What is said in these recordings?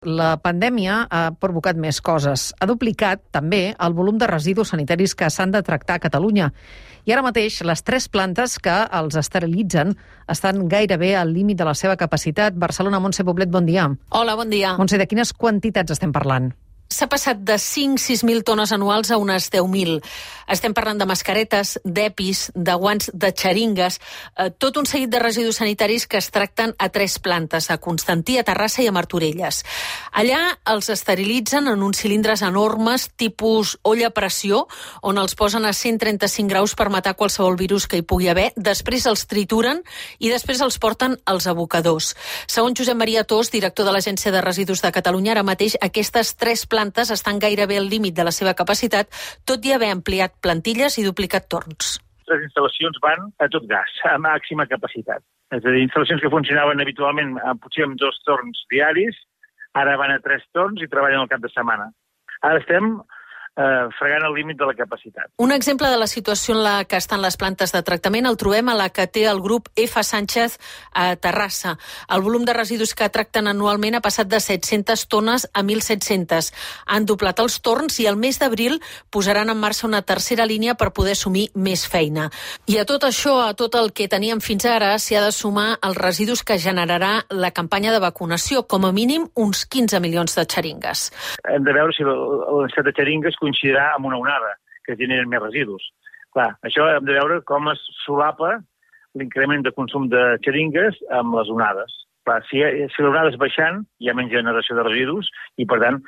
La pandèmia ha provocat més coses. Ha duplicat, també, el volum de residus sanitaris que s'han de tractar a Catalunya. I ara mateix, les 3 plantes que els esterilitzen estan gairebé al límit de la seva capacitat. Barcelona, Montse Poblet, bon dia. Hola, bon dia. Montse, de quines quantitats estem parlant? S'ha passat de 5-6.000 tones anuals a unes 10.000. Estem parlant de mascaretes, d'EPIs, de guants, de xeringues, tot un seguit de residus sanitaris que es tracten a 3 plantes, a Constantí, a Terrassa i a Martorelles. Allà els esterilitzen en uns cilindres enormes, tipus olla a pressió, on els posen a 135 graus per matar qualsevol virus que hi pugui haver. Després els trituren i després els porten als abocadors. Segons Josep Maria Tos, director de l'Agència de Residus de Catalunya, ara mateix aquestes 3 plantes estan gairebé al límit de la seva capacitat, tot i haver ampliat plantilles i duplicat torns. Les instal·lacions van a tot gas, a màxima capacitat. És a dir, instal·lacions que funcionaven habitualment potser amb 2 torns diaris, ara van a 3 torns i treballen al cap de setmana. Ara estem fregant el límit de la capacitat. Un exemple de la situació en la que estan les plantes de tractament el trobem a la que té el grup F. Sánchez a Terrassa. El volum de residus que tracten anualment ha passat de 700 tones a 1.700. Han doblat els torns i el mes d'abril posaran en marxa una tercera línia per poder assumir més feina. I a tot això, a tot el que teníem fins ara, s'hi ha de sumar els residus que generarà la campanya de vacunació, com a mínim uns 15 milions de xeringues. Hem de veure si la necessitat de xeringues coincidirà amb una onada que generen més residus. Clar, això hem de veure com es solapa l'increment de consum de xeringues amb les onades. Clar, si l'onada és baixant, hi ha menys generació de residus i, per tant,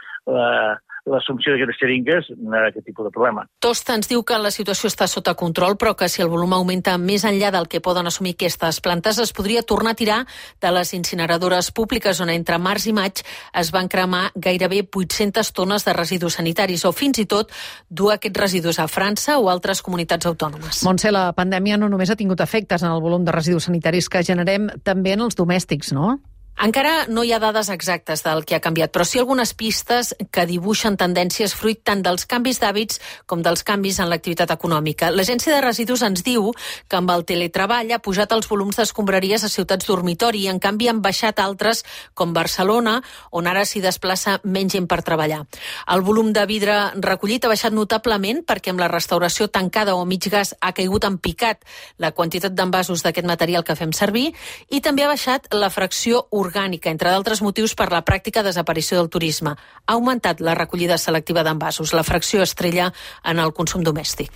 l'assumpció d'aquestes xeringues no hi ha aquest tipus de problema. Tosta ens diu que la situació està sota control, però que si el volum augmenta més enllà del que poden assumir aquestes plantes, es podria tornar a tirar de les incineradores públiques, on entre març i maig es van cremar gairebé 800 tones de residus sanitaris, o fins i tot dur aquests residus a França o altres comunitats autònomes. Montse, la pandèmia no només ha tingut efectes en el volum de residus sanitaris que generem, també en els domèstics, no? Encara no hi ha dades exactes del que ha canviat, però sí algunes pistes que dibuixen tendències fruit tant dels canvis d'hàbits com dels canvis en l'activitat econòmica. L'Agència de Residus ens diu que amb el teletreball ha pujat els volums d'escombraries a ciutats dormitori i en canvi han baixat altres com Barcelona, on ara s'hi desplaça menys gent per treballar. El volum de vidre recollit ha baixat notablement perquè amb la restauració tancada o mig gas ha caigut en picat la quantitat d'envasos d'aquest material que fem servir i també ha baixat la fracció orgànica, entre d'altres motius per la pràctica desaparició del turisme. Ha augmentat la recollida selectiva d'envasos, la fracció estrella en el consum domèstic.